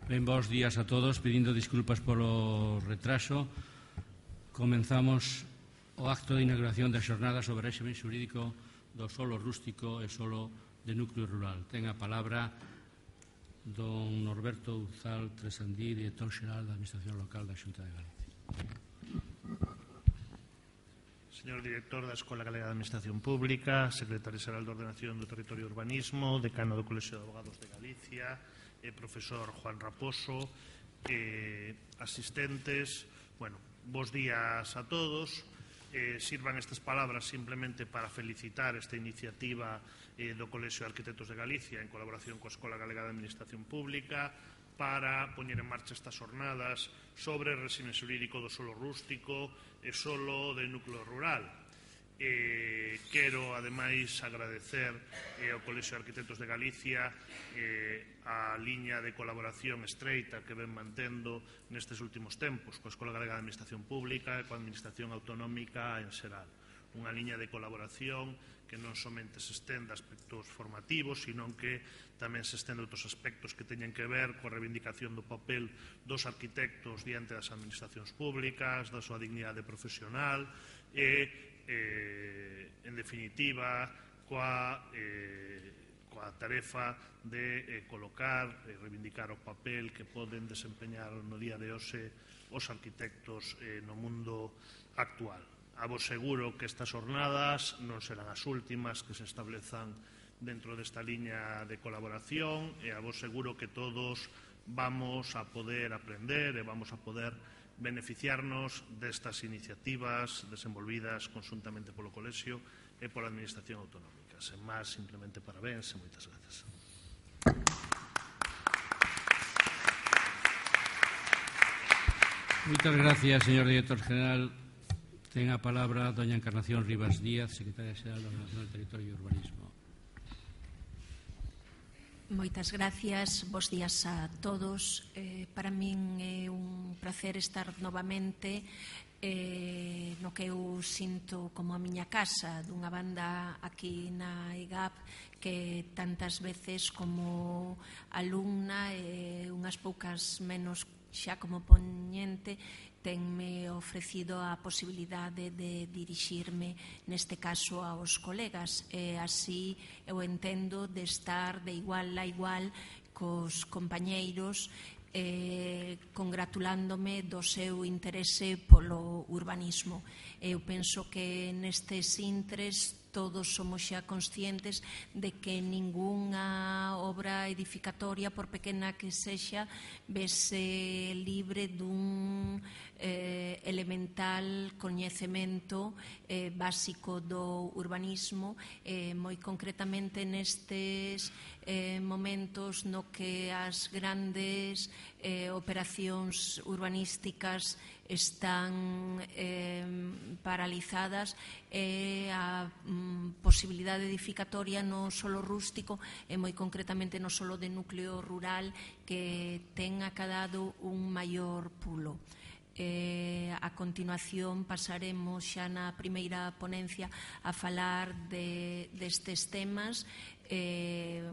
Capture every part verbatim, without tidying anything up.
Ben, bons días a todos, pedindo disculpas polo retraso. Comenzamos o acto de inauguración da xornada sobre o réxime xurídico do solo rústico e solo de núcleo rural. Ten a palabra don Norberto Uzal Tresandí, director xeral da Administración Local da Xunta de Galicia. Señor director da Escola Galega de Administración Pública, secretario xeral de Ordenación do Territorio e Urbanismo, decano do Colexio de Abogados de Galicia, eh, profesor Juan Raposo, eh, asistentes, bueno, bos días a todos. Eh, sirvan estas palabras simplemente para felicitar esta iniciativa eh, do Colexio de Arquitectos de Galicia en colaboración coa Escola Galega de Administración Pública para poñer en marcha estas jornadas sobre o réxime xurídico do solo rústico e solo de núcleo rural. Eh, quero, ademais, agradecer eh, ao Colexio de Arquitectos de Galicia eh, a liña de colaboración estreita que ven mantendo nestes últimos tempos coa Escola Galega de Administración Pública e coa Administración Autonómica en xeral. Unha liña de colaboración que non somente se estende a aspectos formativos, sino que tamén se estende a outros aspectos que teñen que ver coa reivindicación do papel dos arquitectos diante das administracións públicas, da súa dignidade profesional e Eh, en definitiva, coa, eh, coa tarefa de eh, colocar e reivindicar o papel que poden desempeñar no día de hoxe os arquitectos eh, no mundo actual. A vos seguro que estas jornadas non serán as últimas que se establezan dentro desta liña de colaboración e a vos seguro que todos vamos a poder aprender e vamos a poder beneficiarnos destas iniciativas desenvolvidas conjuntamente polo Colexio e pola Administración Autonómica. Sen máis, simplemente parabéns e moitas grazas. Moitas gracias, señor director general. Ten a palabra doña Encarnación Rivas Díaz, secretaria xeral da Ordenación do Territorio e Urbanismo. Moitas gracias, bos días a todos. Eh, para min é un placer estar novamente eh, no que eu sinto como a miña casa, dunha banda aquí na E G A P que tantas veces como alumna e unhas poucas menos xa como poñente tenme ofrecido a posibilidade de dirixirme neste caso aos colegas e así eu entendo de estar de igual a igual cos compañeiros eh, congratulándome do seu interese polo urbanismo. Eu penso que nestes intres todos somos xa conscientes de que ningunha obra edificatoria, por pequena que sexa, vese libre dun eh, elemental coñecemento eh, básico do urbanismo, eh, moi concretamente nestes eh, momentos no que as grandes eh, operacións urbanísticas están eh, paralizadas e a mm, posibilidade edificatoria no solo rústico e moi concretamente no solo de núcleo rural que ten acadado un maior pulo. Eh, a continuación pasaremos xa na primeira ponencia a falar de, destes temas. Eh,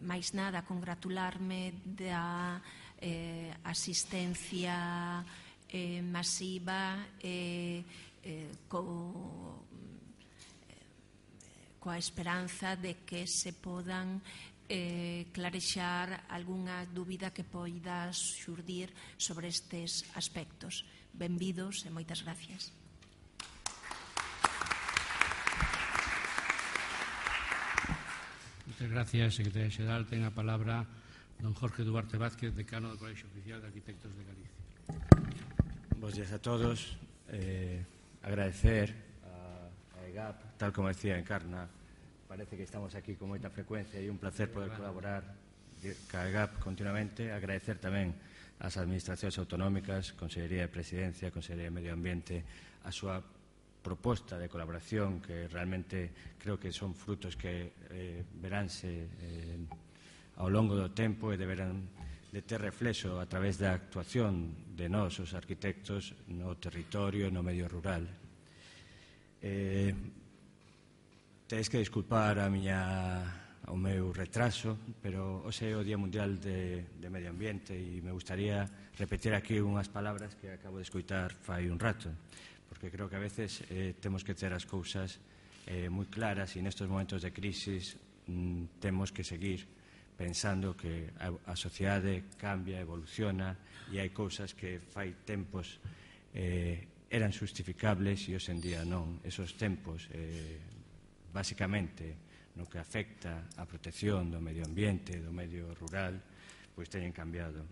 máis nada, congratularme da eh, asistencia eh, masiva e eh, co, eh, coa esperanza de que se podan eh, clarexar algunha dúbida que poida xurdir sobre estes aspectos. Benvidos e moitas gracias. Moitas gracias, secretaria xeral. Ten a palabra don Jorge Duarte Vázquez, decano do Colexio Oficial de Arquitectos de Galicia. Bos días a todos. Eh, agradecer a, a E G A P, tal como decía Encarna, parece que estamos aquí con moita frecuencia e un placer poder colaborar ca E G A P continuamente. Agradecer tamén ás administracións autonómicas, Consellería de Presidencia, Consellería de Medio Ambiente, a súa proposta de colaboración que realmente creo que son frutos que eh, veránse eh, ao longo do tempo e deberán de ter reflexo a través da actuación de nós, os arquitectos, no territorio e no medio rural. Eh, Tedes que disculpar a miña o meu retraso, pero hoxe é o Día Mundial de, de Medio Ambiente e me gustaría repetir aquí unhas palabras que acabo de escoitar fai un rato, porque creo que a veces eh, temos que ter as cousas eh, moi claras e nestes momentos de crisis mm, temos que seguir pensando que a, a sociedade cambia, evoluciona e hai cousas que fai tempos eh, eran justificables e hoxe en día non. Esos tempos, eh, basicamente, no que afecta a protección do medio ambiente, do medio rural, pois teñen cambiado.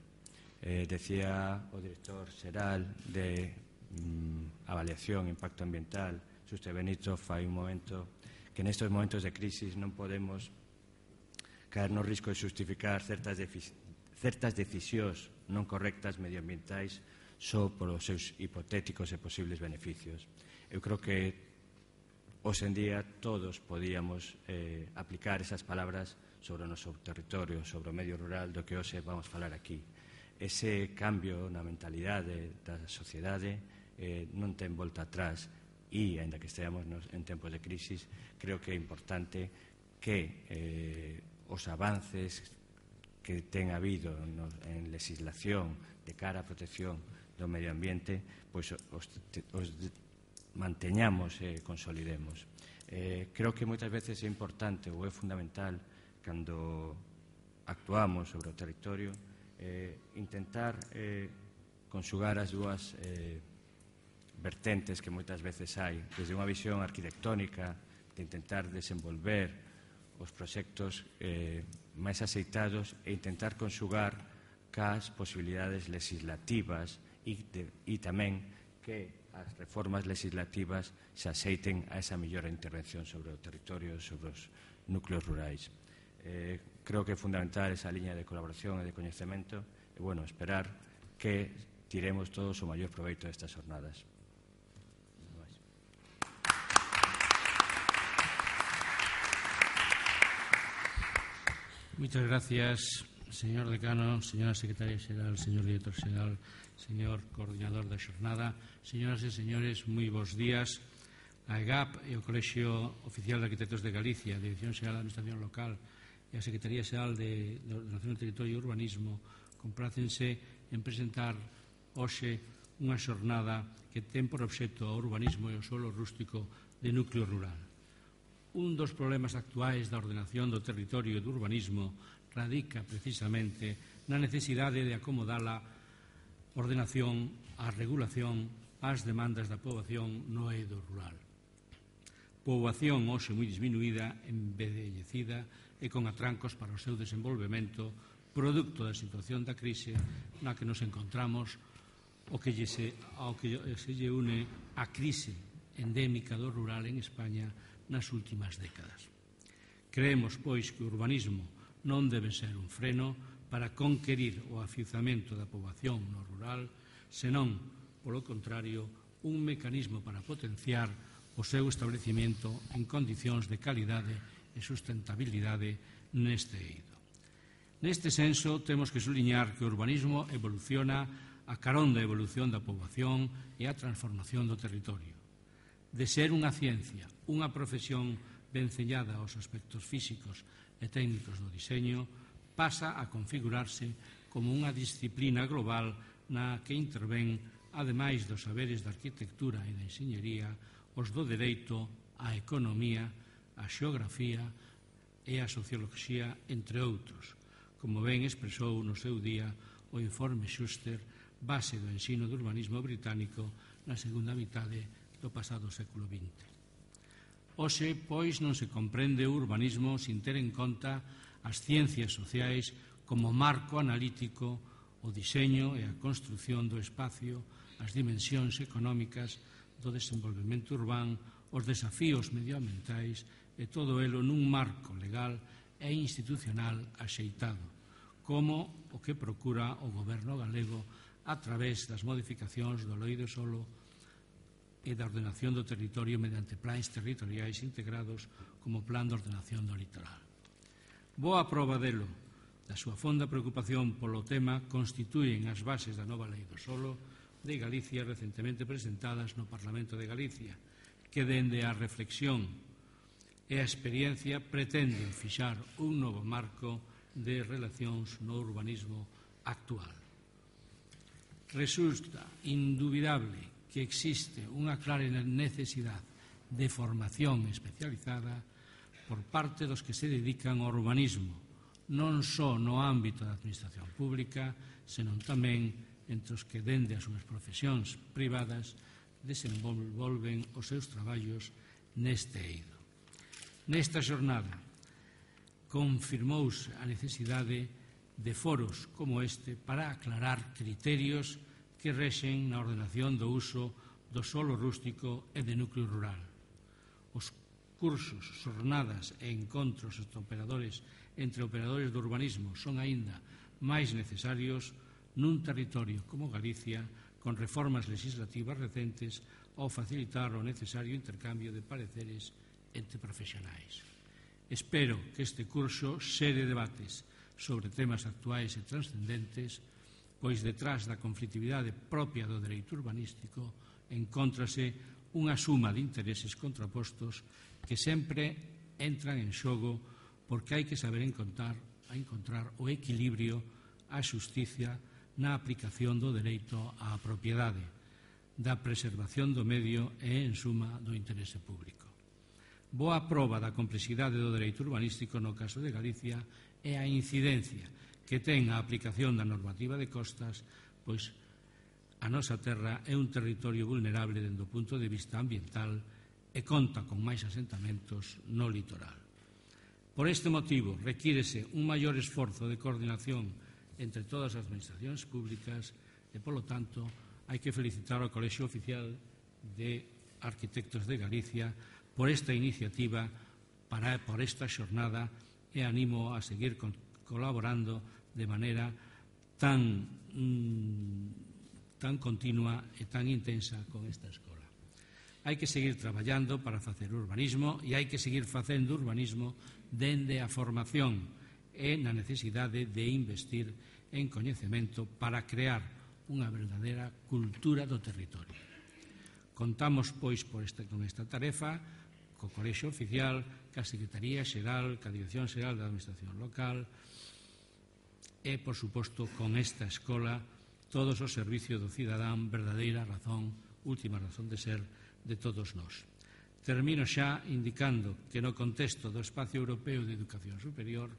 Eh, decía o director xeral de mm, avaliación e impacto ambiental, Xuste Benito, fai un momento que nestes momentos de crisis non podemos caer no risco de justificar certas, certas decisións non correctas medioambientais só polos seus hipotéticos e posibles beneficios. Eu creo que hoxe en día todos podíamos eh, aplicar esas palabras sobre o noso territorio, sobre o medio rural do que hoxe vamos falar aquí. Ese cambio na mentalidade da sociedade eh, non ten volta atrás e, ainda que esteamos nos, en tempos de crisis, creo que é importante que eh, os avances que ten habido no, en legislación de cara á protección do medio ambiente, pois os, os manteñamos e consolidemos. Eh, creo que moitas veces é importante ou é fundamental cando actuamos sobre o territorio eh, intentar eh, conxugar as dúas eh, vertentes que moitas veces hai, desde unha visión arquitectónica de intentar desenvolver os proxectos eh, máis aceitados e intentar conxugar cas posibilidades legislativas e, de, e tamén que as reformas legislativas se aceiten a esa mellor intervención sobre o territorio, sobre os núcleos rurais. Eh, creo que é fundamental esa liña de colaboración e de coñecemento e, bueno, esperar que tiremos todos o maior proveito destas jornadas. Muchas gracias, señor decano, señora secretaria xeral, señor director xeral, señor coordinador da xornada. Señoras e señores, moi bons días. A EGAP e o Colexio Oficial de Arquitectos de Galicia, a Dirección Xeral da Administración Local e a Secretaría Xeral de Ordenación do Territorio e Urbanismo comprácense en presentar hoxe unha xornada que ten por obxecto o urbanismo e o solo rústico de núcleo rural. Un dos problemas actuais da ordenación do territorio e do urbanismo radica precisamente na necesidade de acomodar a ordenación, a regulación, ás demandas da poboación no eido rural. Poboación hoxe moi disminuída, envellecida e con atrancos para o seu desenvolvemento, producto da situación da crise na que nos encontramos, o que se, ao que se lle une a crise endémica do rural en España nas últimas décadas. Creemos, pois, que o urbanismo non debe ser un freno para conquerir o afiuzamento da poboación no rural, senón, polo contrario, un mecanismo para potenciar o seu establecimiento en condicións de calidade e sustentabilidade neste eido. Neste senso, temos que suliñar que o urbanismo evoluciona a carón da evolución da poboación e a transformación do territorio. De ser unha ciencia, unha profesión venceñada aos aspectos físicos e técnicos do diseño, pasa a configurarse como unha disciplina global na que intervén, ademais dos saberes da arquitectura e da enxeñería, os do dereito, a economía, a xeografía e a socioloxía, entre outros, como ben expresou no seu día o informe Schuster, base do ensino do urbanismo británico na segunda mitade do pasado século vinte. Hoxe, pois, non se comprende o urbanismo sin ter en conta as ciencias sociais como marco analítico, o diseño e a construción do espacio, as dimensións económicas do desenvolvemento urbán, os desafíos medioambientais e todo elo nun marco legal e institucional axeitado, como o que procura o goberno galego a través das modificacións do Lei do Solo e da ordenación do territorio mediante plans territoriais integrados como Plan de Ordenación do Litoral. Boa proba delo, da súa fonda preocupación polo tema, constitúen as bases da nova Lei do Solo de Galicia recentemente presentadas no Parlamento de Galicia, que dende a reflexión e a experiencia pretenden fixar un novo marco de relacións no urbanismo actual. Resulta indubidable que existe unha clara necesidade de formación especializada por parte dos que se dedican ao urbanismo, non só no ámbito da administración pública, senón tamén entre os que dende as súas profesións privadas desenvolven os seus traballos neste eido. Nesta xornada confirmouse a necesidade de foros como este para aclarar criterios que rexen na ordenación do uso do solo rústico e de núcleo rural. Os cursos, xornadas e encontros entre operadores, entre operadores do urbanismo son aínda máis necesarios nun territorio como Galicia, con reformas legislativas recentes ao facilitar o necesario intercambio de pareceres entre profesionais. Espero que este curso xere debates sobre temas actuais e transcendentes, pois detrás da conflitividade propia do dereito urbanístico encóntrase unha suma de intereses contrapostos que sempre entran en xogo porque hai que saber encontrar, a encontrar o equilibrio, a xusticia na aplicación do dereito á propiedade, da preservación do medio e, en suma, do interese público. Boa proba da complexidade do dereito urbanístico no caso de Galicia é a incidencia que ten a aplicación da normativa de costas, pois a nosa terra é un territorio vulnerable dende o punto de vista ambiental e conta con máis asentamentos no litoral. Por este motivo, requírese un maior esforzo de coordinación entre todas as administracións públicas e, polo tanto, hai que felicitar ao Colexio Oficial de Arquitectos de Galicia por esta iniciativa, para, por esta xornada, e animo a seguir con, colaborando de maneira tan, mm, tan continua e tan intensa con esta escola. Hai que seguir traballando para facer urbanismo e hai que seguir facendo urbanismo dende a formación e na necesidade de investir en coñecemento para crear unha verdadeira cultura do territorio. Contamos, pois, por esta, con esta tarefa co Colexio Oficial, ca Secretaría Xeral, ca Dirección Xeral da Administración Local e, por suposto, con esta escola, todos os servicios do cidadán, verdadeira razón, última razón de ser de todos nós. Termino xa indicando que no contexto do Espacio Europeo de Educación Superior,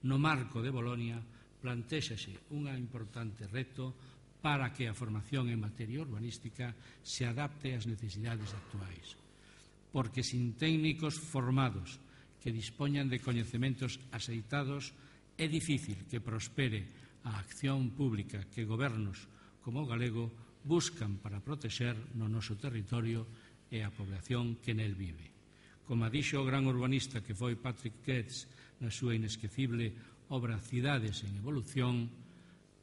no marco de Bolonia, plantéxase un importante reto para que a formación en materia urbanística se adapte ás necesidades actuais. Porque sin técnicos formados que dispoñan de coñecementos axeitados é difícil que prospere a acción pública que gobernos como o galego buscan para protexer no noso territorio e a población que nel vive. Como dixo o gran urbanista que foi Patrick Getz na súa inesquecible obra Cidades en Evolución,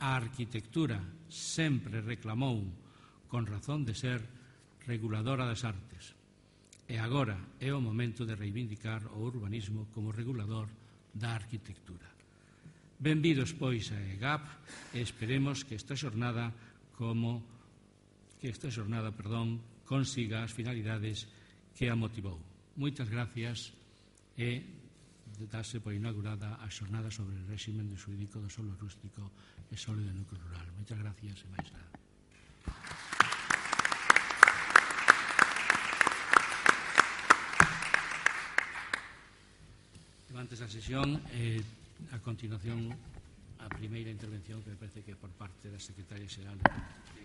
a arquitectura sempre reclamou, con razón de ser, reguladora das artes. E agora é o momento de reivindicar o urbanismo como regulador da arquitectura. Benvidos, pois, a EGAP e esperemos que esta xornada como que esta xornada, perdón, consiga as finalidades que a motivou. Moitas gracias e darse por inaugurada a xornada sobre o réximen xurídico do solo rústico e solo do núcleo rural. Moitas gracias e máis nada. Antes da sesión, eh, a continuación, a primeira intervención que me parece que é por parte da Secretaria Xeral de